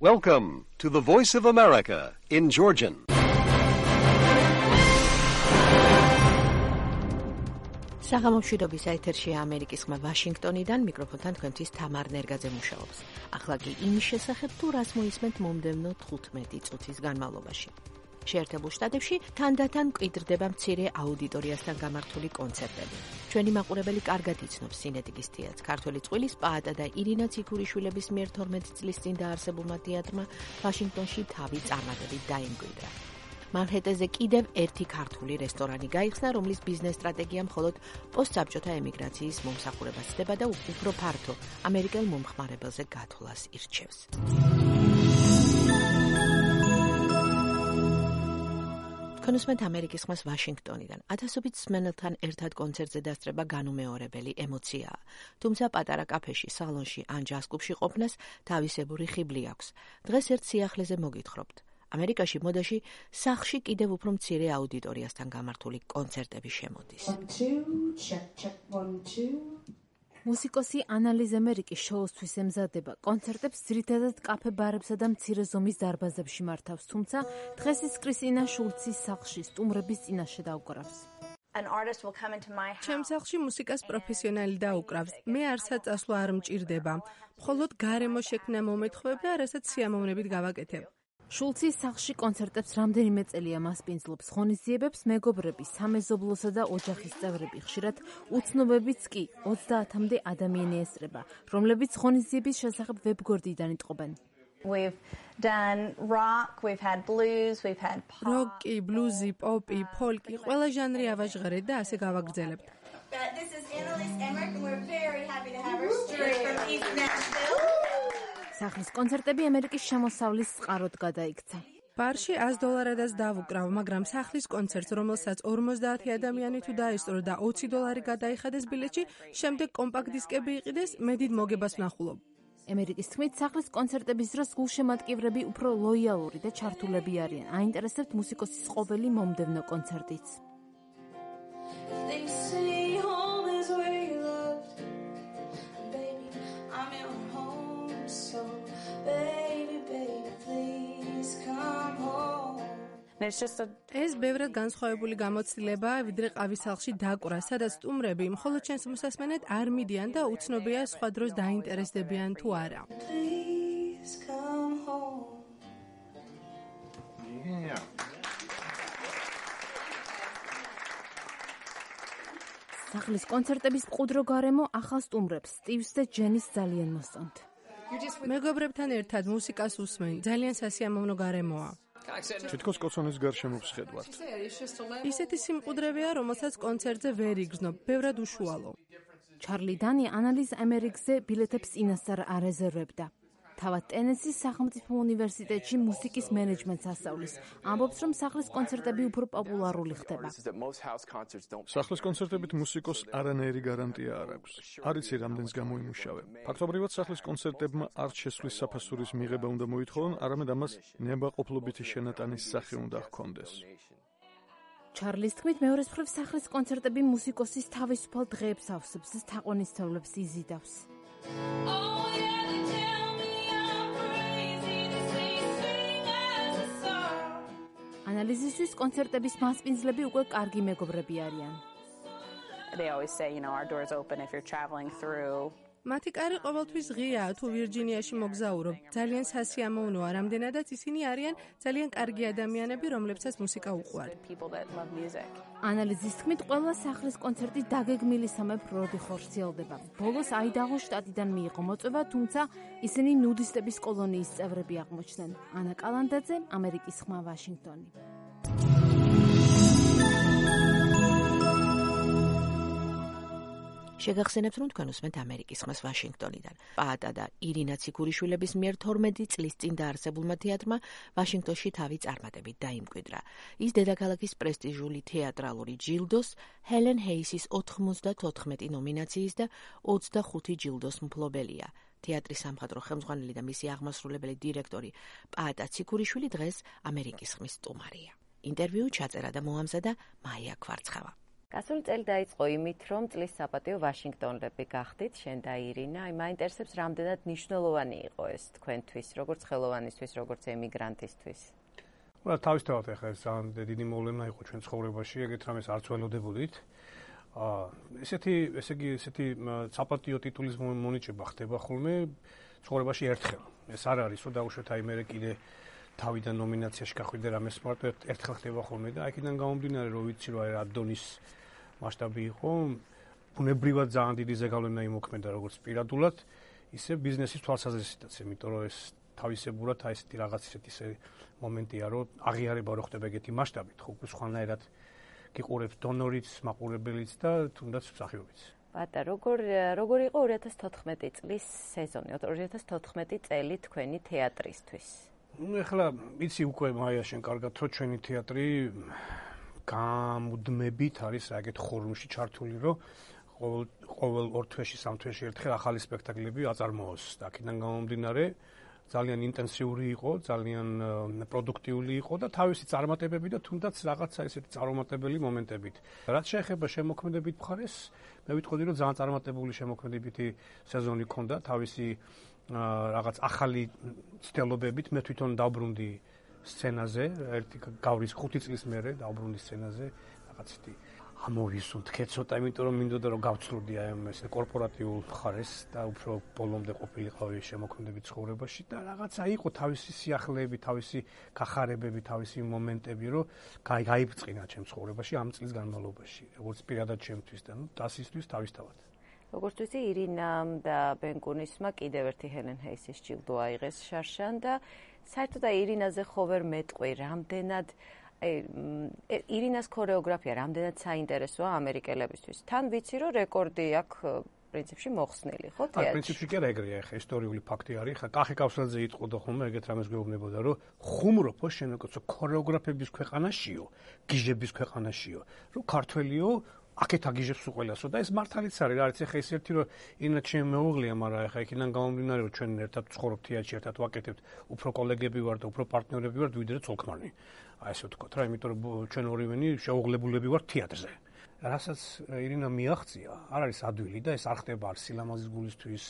Welcome to the Voice of America in Georgian. საღამომშვიდობის ეთერშია ამერიკის ხმა ვაშინგტონიდან, მიკროფონთან თქვენთვის თამარ ნერგაძე მუშაობს. ახლა კი იმის შესახებ თუ რას მოისმენთ მომდევნო 15 წუთის განმავლობაში. შეერთებულ შტატებში თანდათან მკვიდრდება მცირე აუდიტორიასთან გამართული კონცერტები. ჩვენი მაყურებელი კარგად იცნობს სინეტიკის თეატრს. ქართველი წყვილის პაატა და ირინა ციქურიშვილების მიერ 12 წლის წინ დაარსებულმა თეატრმა ვაშინგტონში თავი წარმატებით დაიმკვიდრა. მანჰეტენზე კიდევ ერთი ქართული რესტორანი გაიხსნა, რომლის ბიზნეს სტრატეგია მხოლოდ პოსტსაბჭოთა ემიგრაციის მომსახურებას ხდება და უფრო ფართო ამერიკელ მომხმარებელზე გათვლას ირჩევს. კონსუმენტ ამერიკის ხმას ვაშინგტონიდან. ათასობით მსმენელთან ერთად კონცერტზე დასწრება განუმეორებელი ემოციაა. თუმცა პატარა კაფეში, სალონში ან ჯაზ კლუბში ყოფნას თავისებური ხიბლი აქვს. დღეს ერთ სიახლეზე მოგითხრობთ. ამერიკაში მოდაში სახლში კიდევ უფრო მცირე აუდიტორიასთან გამართული კონცერტები შემოდის. მუსიკოსი ანა ლიз მერიკი შოუსთვის ემზადება. კონცერტებს ძირითადად კაფე ბარებსა და მცირე ზომის დარბაზებში მართავს, თუმცა დღეს ის კრისტინა შულცის სახლში სტუმრების წინაშე დაუკრავს. ჩემ სახლში მუსიკას პროფესიონალი დაუკრავს. მე არცად წასვლა არ მჭირდება. მხოლოდ გარემო შექმნა მომეთხოვება, რასაც სიამოვნებით გავაკეთებ. შულცის სახლში კონცერტებს რამდენიმე წელია მასპინძლობს. ღონისძიებებს მეგობრები, სამეზობლოსა და ოჯახის წევრები, ხშირად უცნობებიც კი 30-მდე ადამიანი ესწრება, რომლებიც ღონისძიების შესახებ ვებგვერდიდან იტყობენ. We've done rock, we've had blues, we've had pop. როკი, ბლუზი, პოპი, ფოლკი, ყველა ჟანრი ავაჟღერეთ და ასე გავაგრძელებთ. This is Anna Lis Emmerich and we're very happy to have her straight from East Nashville. სახლის კონცერტები ამერიკის შემოსავლის წყაროდ გადაიქცა. ბარში $100-ადაც დავუკრავ, მაგრამ სახლის კონცერტს, რომელსაც 50 ადამიანი თუ დაესწრო და $20 გადაიხადეს ბილეთში, შემდეგ კომპაქტ დისკები იყიდეს, მე დიდ მოგებას ვნახულობ. ამერიკის თქმით, სახლის კონცერტების დროს გულშემატკივრები უფრო ლოიალური და ჩართულები არიან. აინტერესებთ მუსიკოსის ყოველი მომდევნო კონცერტიც. ეს ბევრად განსხვავებული გამოცდილებაა, ვიდრე ყავის სახლში დაკვრა, სადაც სტუმრები მხოლოდ ჩვენს მოსასმენად არ მიდიან და უცნობია სხვა დროს დაინტერესდებიან თუ არა. სახლის კონცერტების მყუდრო გარემო ახალ სტუმრებს, სტივს და ჯენის ძალიან მოსწონთ. მეგობრებთან ერთად მუსიკას უსმენ, ძალიან სასიამოვნო გარემოა. თითქოს კოცონის გარშემო ვსხედვართ. ისეთი სიმყუდრებია, რომელსაც კონცერტზე ვერ იგრძნობ, ბევრად უშუალო. ჩარლი დანი ანა ლის ამერიკზე ბილეთებს წინასწარ არეზერვებდა. თავად ტენესის სახელმწიფო უნივერსიტეტში მუსიკის მენეჯმენტს ასწავლის. ამბობს, რომ სახლის კონცერტები უფრო პოპულარული ხდება. სახლის კონცერტებით მუსიკოს არანაირი გარანტია არ აქვს. არ იცი რამდენს გამოიმუშავებ. ფაქტობრივად სახლის კონცერტებმა არც შესვლის საფასურის მიღება უნდა მოითხოვონ, არამედ ამას ნებაყოფლობითი შენატანის სახე უნდა ჰქონდეს. ჩარლის თქმით, მეორეს მხრივ სახლის კონცერტები მუსიკოსის თავისუფალ დღეებს ავსებს და თაყვანისმცემლებს იზიდავს. ანალიზისთვის კონცერტების მასპინძლები უკვე კარგი მეგობრები არიან. They always say, our door's open if you're traveling through. მათი კარი ყოველთვის ღიაა, თუ ვირჯინიაში მოგზაურობ. ძალიან სასიამოვნოა, რამდენადაც ისინი არიან ძალიან კარგი ადამიანები, რომლებსაც მუსიკა უყვართ. ანალიზის თქმით, ყველა სახლის კონცერტი დაგეგმილისამებრ როდი ხორციელდება. ბოლოს აიდაჰოს შტატიდან მიიღო მოწვევა, თუმცა ისინი ნუდისტების კოლონიის წევრები აღმოჩნდნენ. ანა კალანდაძე, ამერიკის ხმა, ვაშინგტონი. შეგახსენებთ, რომ თქვენ უსმენთ ამერიკის ხმას ვაშინგტონიდან. პაატა და ირინა ციქურიშვილების მიერ 12 წლის წინ დაარსებულმა თეატრმა ვაშინგტონში თავი წარმატებით დაიმკვიდრა. ის დედაქალაქის პრესტიჟული თეატრალური ჯილდოს, ჰელენ ჰეისის 94 ნომინაციის და 25 ჯილდოს მფლობელია. თეატრის სამხატვრო ხელმძღვანელი და მისი აღმასრულებელი დირექტორი პაატა ციქურიშვილი დღეს ამერიკის ხმის სტუმარია. ინტერვიუ ჩაწერა და მოამზადა მაია ქვარცხავა. გასული წელი დაიწყო იმით, რომ წლის საპატიო ვაშინგტონელები გახდით, შენ და ირინა. მაინტერესებს, რამდენად მნიშვნელოვანი იყო ეს თქვენთვის, როგორც ხელოვანისთვის, როგორც ემიგრანტისთვის. თავისთავად ახლა ეს ძალიან დიდი მოვლენა იყო ჩვენ ცხოვრებაში, ეგეთ რამეს არც ველოდებოდით. ესეთი საპატიო ტიტულის მონიჭება ხდება ხოლმე ცხოვრებაში ერთხელ. ეს არ არის, რომ დაუშვათ აი მე კიდე თავიდან ნომინაციაში გახვიდე რამეს მარტო ერთხელ ხდება ხოლმე და აქედან გამომდინარე რომ ვიცი რომ აი რა დონის მასშტაბი იყო, ბუნებრივად ძალიან დიდი ზეგავლენა იმოქმედა როგორც პირადულად, ისე ბიზნესის თვალსაზრისითაც, იმიტომ რომ ეს თავისებურად აი ესეთი რაღაც ისე მომენტია, რომ აღიარება რო ხდება ეგეთი მასშტაბით, ხო უკვე სხვანაირად გიყურებს დონორიც, მაყურებელიც და თუნდაც მსახიობიც. ბატა, როგორ იყო 2014 წლის სეზონი, 2014 წელი თქვენი თეატრისთვის? ეხლა იცი უკვე მაია შენ კარგად რომ ჩვენი თეატრი გამუდმებით არის ეგეთ ხორმში ჩართული, რომ ყოველ 2 თვეში, 3 თვეში ერთხელ ახალი სპექტაკლები აწარმოოს. და აქედან გამომდინარე ძალიან ინტენსიური იყო, ძალიან პროდუქტიული იყო და თავისი წარმატებები და თუნდაც რაღაცა ესეთი წარუმატებელი მომენტებით. რაც შეეხება შემოქმედებით მხარეს, მე ვიტყოდი რომ ძალიან წარმატებული შემოქმედებითი სეზონი ჰქონდა, თავისი რაღაც ახალი ცდელობებით. მე თვითონ დავბრუნდი სცენაზე, ერთი გავრის 5 წლის მერე დავბრუნდი სცენაზე, რაღაც ისეთი ამოვისუნთქე ცოტა, იმიტომ რომ მინდოდა რომ გავცლოდი აი ამ ესე კორპორატიულ მხარეს და უფრო ბოლომდე ყოფილიყავი შემოქმედებით ცხოვრებაში და რაღაცა იყო თავისი სიახლეები, თავისი გახარებები, თავისი მომენტები, რომ გაიბწყინა ჩემ ცხოვრებაში ამ წლის განმავლობაში, როგორც პირადად ჩემთვის და დასისთვის თავისთავად. როგორც ვიცი, ირინამ და ბენკუნისმა კიდევ ერთი ჰელენ ჰეისის ჯილდო აიღეს შარშან და საერთოდ ირინაზე ხო ვერ მეტყვი, რამდენად ირინას ქორეოგრაფია რამდენად საინტერესოა ამერიკელებისთვის. თან ვიცი, რომ რეკორდი აქვს პრინციპში მოხსნილი, ხო, თეატრში? პრინციპში კი არა ეგრეა, ხა ისტორიული ფაქტი არის, ხა კახი კავსაძე იტყოდა ხოლმე ეგეთ რამეს გვეუბნებოდა, რომ ხუმრობო შენაკოცო ქორეოგრაფების ქვეყანაშიო, გიჟების ქვეყანაშიო, რომ ქართველიო აქეთ აგიჟებს უყველასო და ეს მართალიც არის, რა არის, ხა ის ერთი რომ ინა ჩემ მეუღლეა, მაგრამ ხა იქიდან გამომდინარე, რომ ჩვენ ერთად ვცხოვრობთ თეატრში, ერთად ვაკეთებთ, უფრო კოლეგები ვართ და უფრო პარტნიორები ვართ, ვიდრე ცოლ-ქმარი. აი ესე ვთქვათ რა, იმიტომ რომ ჩვენ ორივენი შეუღლებულები ვართ თეატრზე. რასაც ირინა მიაღწია, არ არის ადვილი და ეს არ ხდება არ სილამაზის გულისთვის,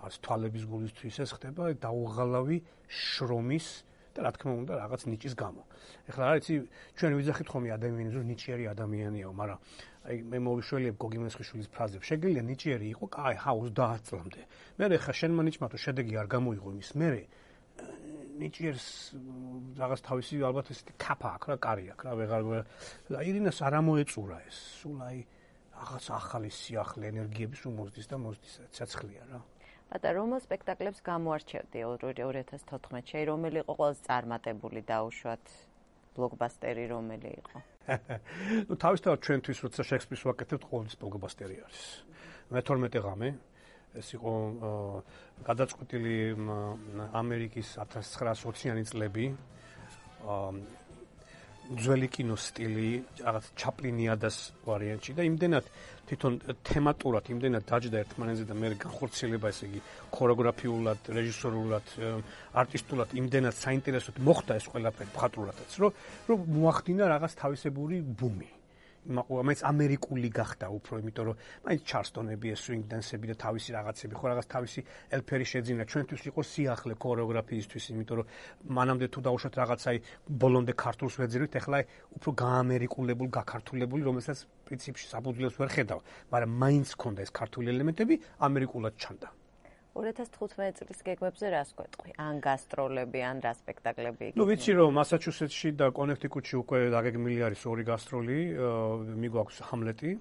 არ თვალების გულისთვის, ეს ხდება დაუღალავი შრომის და რა თქმა უნდა რაღაც ნიჭის გამო. ეხლა რა იცი, ჩვენ ვიძახით ხოლმე ადამიანებს, რომ ნიჭიერი ადამიანიაო, მაგრამ აი მე მოვიშველიებ გოგი მესხიშვილის ფრაზებს. შეგიძლია ნიჭიერი იყო, კაი, 30 წლამდე. მე ხა შენმა ნიჭმა თუ შედეგი არ გამოიღო იმის, მე ნიჭიერს რაღაც თავისი ალბათ ესეთი კაფა აქვს რა, კარი აქვს რა, ვეღარ ირინას არ ამოეწურა ეს. სულ აი რაღაც ახალი სიახლე ენერგიების უმოზდის და მოზდის ცეცხლია რა. ბატა, რომელ სპექტაკლებს გამოარჩევდი 2014-ში, რომელი იყო ყველაზე წარმატებული დაუშვათ ბლოკბასტერი რომელი იყო? ნუ თავისთავად ჩვენთვის როცა შექსპირს ვაკეთებთ, ყოველთვის ბლოკბასტერი არის. მე-12 ღამე ეს იყო გადაწყვეტილი ამერიკის 1920-იანი წლები, ძველი კინოს სტილი, რაღაც ჩაპლინიადას ვარიანტში და იმდენად თვითონ თემატურად იმდენად დაჯდა ერთმანეთზე და მე განხორციელება, ესე იგი, ქორეოგრაფიულად, რეჟისორულად, არტისტულად იმდენად საინტერესოდ მოხდა ეს ყველაფერი მხატვრულადაც, რომ მოახდინა რაღაც თავისებური ბუმი. მაინც ამერიკული გახდა უფრო, იმიტომ რომ მაინც ჩარლსტონები, სვინგ დანსები და თავისი რაღაცები, ხო რაღაც თავისი ელფერი შეძინა. ჩვენთვის იყო სიახლე ქორეოგრაფიისთვის, იმიტომ რომ მანამდე თუ დაუშვათ რაღაცაი ბოლომდე ქართულს ვეძირით, ეხლა უფრო გაამერიკულებულ, გაქართულებული, რომელსაც პრინციპში საფუძველს ვერ ხედავ, მაგრამ მაინც ჰქონდა ეს ქართული ელემენტები, ამერიკულად ჩანდა. 2015 წლის გეგმებზე რას გვეტყვი? ან გასტროლები, ან რა სპექტაკლები? ნუ ვიცი რომ მასაჩუსეტსში და კონექტიკუტში უკვე დაგეგმილი არის 2 გასტროლი, მიგვაქვს ჰამლეტი.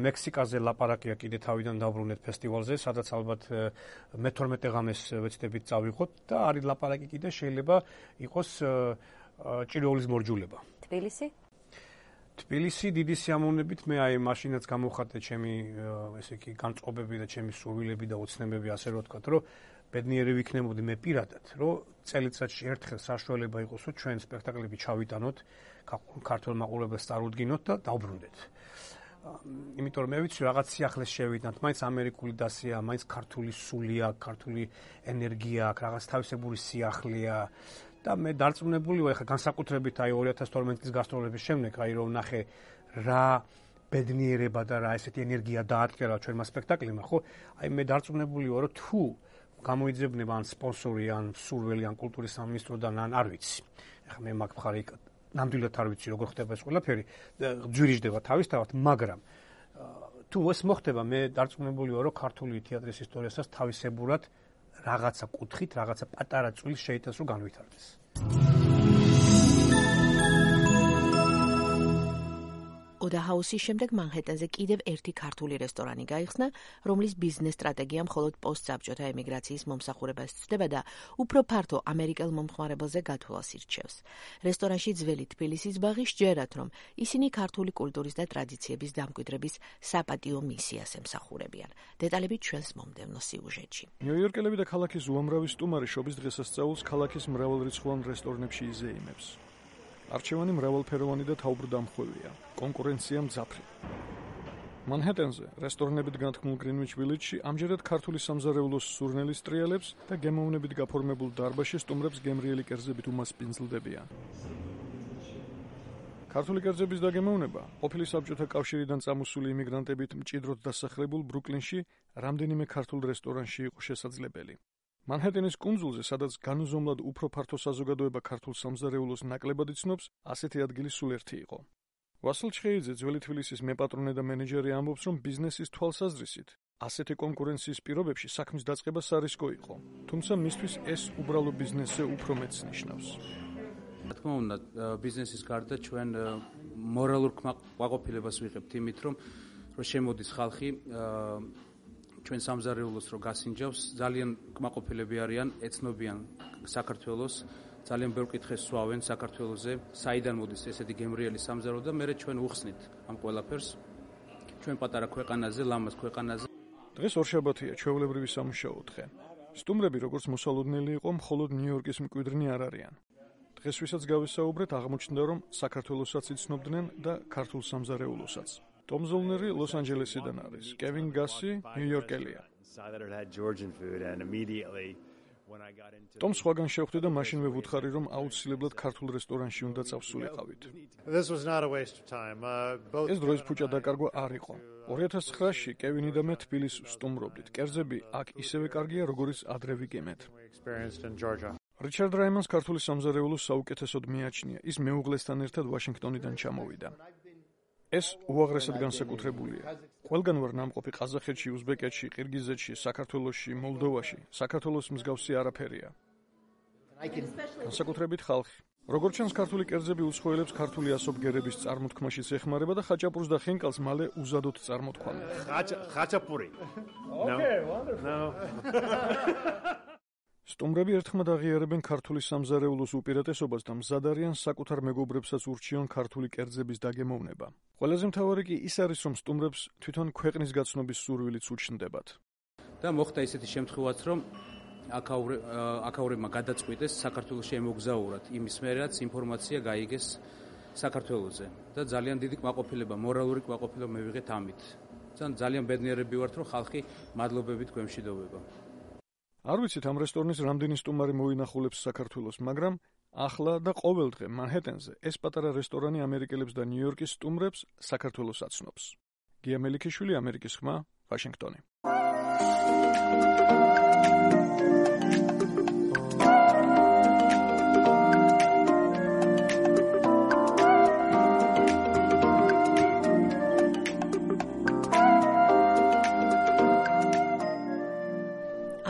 მექსიკაზე ლაპარაკია კიდე თავიდან დავბრუნეთ ფესტივალზე, სადაც ალბათ მე-12 ღამეს ვეცდებით წავიღოთ და არის ლაპარაკი კიდე შეიძლება იყოს ჭიროულის მორჯულება. თბილისი? თბილისი დიდი სიამოვნებით მე აი მაშინაც გამოვხატე ჩემი ესე იგი განწყობები და ჩემი სურვილები და ოცნებები, ასე რომ ვთქვათ, რომ ბედნიერი ვიქნებოდი მე პირადად, რომ წელიწადში ერთხელ საშუალება იყოს, რომ ჩვენ სპექტაკლები ჩავიტანოთ, ქართულ მაყურებელს წარუდგინოთ და დავბრუნდეთ. იმიტომ რომ მე ვიცი რაღაც სიახლეს შევიტანთ, მაინც ამერიკული დასია, მაინც ქართული სულია, ქართული ენერგია აქვს, რაღაც თავისებური სიახლეა. და მე დარწმუნებული ვარ, ხა განსაკუთრებით აი 2012 წლის გასტროლების შემდეგ, აი რომ ნახე რა ბედნიერება და რა ესეთი ენერგია დაატკერა ჩვენმა სპექტაკლმა, ხო? აი მე დარწმუნებული ვარ, რომ თუ გამოიძებნება ან სპონსორი, ან სურველი, ან კულტურის სამინისტროდან, ან არ ვიცი. ეხლა მე მაგ მხარე ნამდვილად არ ვიცი, როგორ ხდება ეს ყველაფერი, ძვირიждება თავისთავად, მაგრამ თუ ეს მოხდება, მე დარწმუნებული ვარ, რომ ქართული თეატრის ისტორიასაც თავისებურად რაღაცა კუთხით, რაღაცა პატარა წვილს შეიტანს, რომ განვითარდეს. ოდაჰაუსის შემდეგ მანჰეტენზე კიდევ ერთი ქართული რესტორანი გაიხსნა, რომლის ბიზნეს სტრატეგია მხოლოდ პოსტსაბჭოთა ემიგრაციის მომსახურებას ცდება და უფრო ფართო ამერიკელ მომხმარებელზე გათვლას ირჩევს. რესტორანში ძველი თბილისის ბაღი სჯერათ, რომ ისინი ქართული კულტურის და ტრადიციების დამკვიდრების საპატიო მისიას ემსახურებიან. დეტალები ჩვენს მომდევნო სიუჟეტში. ნიუ-იორკელები და ქალაქის უამრავი სტუმარი შობის დღესასწაულს ქალაქის მრავალრიცხოვან რესტორნებში იზეიმებს. არჩევანი მრავალფეროვანი და თავბრდამხვევია. კონკურენცია მძაფრი. მანჰეტენზე რესტორნებით განთქმულ გრინვიჩ ვილეჯში ამჯერად ქართული სამზარეულოს სურნელის ტრიალებს და გემოვნებით გაფორმებულ დარბაზში სტუმრებს გემრიელი კერძებით უმასპინძლდებიან. ქართული კერძების დაგემოვნება ყოფილი საბჭოთა კავშირიდან წამოსული იმიგრანტებით მჭიდროდ დასახლებულ ბრუკლინში რამდენიმე ქართულ რესტორანში იყო შესაძლებელი. მანჰეტენის კუნძულზე, სადაც განუზომლად უფრო ფართო საზოგადოება ქართულ სამზარეულოს ნაკლებად იცნობს, ასეთი ადგილი სულ ერთი იყო. ვასილ ჩხეიძე, ძველი თბილისის მეპატრონე და მენეჯერი ამბობს, რომ ბიზნესის თვალსაზრისით ასეთი კონკურენციის პირობებში საქმის დაწყება სარისკო იყო, თუმცა მისთვის ეს უბრალო ბიზნესზე უფრო მეტს ნიშნავს. რა თქმა უნდა, ბიზნესის გარდა ჩვენ მორალურ კმაყოფილებას ვიღებთ იმით, რომ შემოდის ხალხი ჩვენ სამზარეულოს რო გასინჯავს, ძალიან კმაყოფილები არიან, ეცნობიან საქართველოს, ძალიან ბევრ კითხეს სვავენ საქართველოზე, საიდან მოდის ესეთი გემრიელი სამზარეულო და მე ჩვენ უხსნით ამ ყველაფერს ჩვენ პატარა ქვეყანაზე, ლამაზ ქვეყანაზე. დღეს ორშაბათია, ჩვეულებრივი სამუშაო დღე. სტუმრები, როგორც მოსალოდნელი იყო, მხოლოდ ნიუ-იორკის მკვიდრნი არ არიან. დღეს ვისაც გავესაუბრეთ, აღმოჩნდა, რომ საქართველოსაც იცნობდნენ და ქართულ სამზარეულოსაც. ტომ ზოლნერი ლოს-ანჯელესიდან არის, კევინ გასი ნიუ-იორკელია. ტომ სხვაგან შევხვდი და მაშინვე ვუთხარი, რომ აუცილებლად ქართულ რესტორანში უნდა წავსულიყავით. ეს დროის ფუჭა დაკარგვა არ იყო. 2009-ში კევინი და მე თბილისს ვსტუმრობდით. კერძები აქ ისევე კარგია, როგორიც ადრე ვიგემეთ. რიჩარდ რაიმანს ქართული სამზარეულოს საუკეთესოდ მიაჩნია. ის მეუღლესთან ერთად ვაშინგტონიდან ჩამოვიდა. ეს უაღრესად განსაკუთრებულია. ყველგან ვარ ნამყოფი ყაზახეთში, უზბეკეთში, ყირგიზეთში, საქართველოში, მოლდოვაში. საქართველოს მსგავსი არაფერია. განსაკუთრებით ხალხი. როგორც ჩანს, ქართული კერძები უცხოელებს ქართული ასობგერების წარმოთქმაშიც ეხმარება და ხაჭაპურს და ხინკალს მალე უზადოდ წარმოთქვამენ. ხაჭაპური. სტუმრები ერთხმად აღიარებენ ქართული სამზარეულოს უპირატესობას და მზად არიან საკუთარ მეგობრებსაც ურჩიონ ქართული კერძების დაგემოვნება. ყველაზე მთავარი კი ის არის, რომ სტუმრებს თვითონ ქვეყნის გაცნობის სურვილიც უჩნდებათ. და მოხდა ისეთი შემთხვევაც, რომ აქაურებმა გადაწყვიტეს საქართველოში ემოგზაურათ იმის მერეაც ინფორმაცია გაიგეს საქართველოზე და ძალიან დიდი კმაყოფილება, მორალური კმაყოფილება მივიღეთ ამით. ძალიან ბედნიერები ვართ, რომ ხალხი მადლობებით გვემშვიდობება. არ ვიცით ამ რესტორნის რამდენი სტუმარი მოინახულებს საქართველოს, მაგრამ ახლა და ყოველ დღე მანჰეტენზე ეს პატარა რესტორანი ამერიკელებს და ნიუ-იორკის სტუმრებს საქართველოს აცნობს. გია მელიქიშვილი, ამერიკის ხმა, ვაშინგტონი.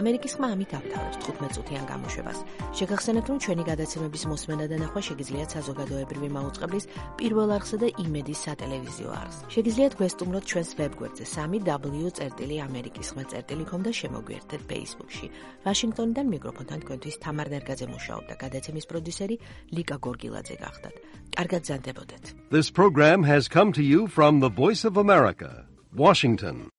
ამერიკის ხმა ამით ავთავებს 15 წუთიან გამოშვებას. შეგახსენებთ, რომ ჩვენი გადაცემების მოსმენა და ნახვა შეგიძლიათ საზოგადოებრივი მაუწყებლის პირველ არხსა და იმედის სატელევიზიო არხს. შეგიძლიათ გვესტუმროთ ჩვენს ვებგვერდზე 3w.amerikisxma.com და შემოგვიერთდეთ Facebook-ში. ვაშინგტონიდან მიკროფონთან თქვენთვის თამარ ნერგაძე მუშაობდა, გადაცემის პროდიუსერი ლიკა გორგილაძე გახდათ. კარგად ზანდებოდეთ. This program has come to you from the Voice of America, Washington.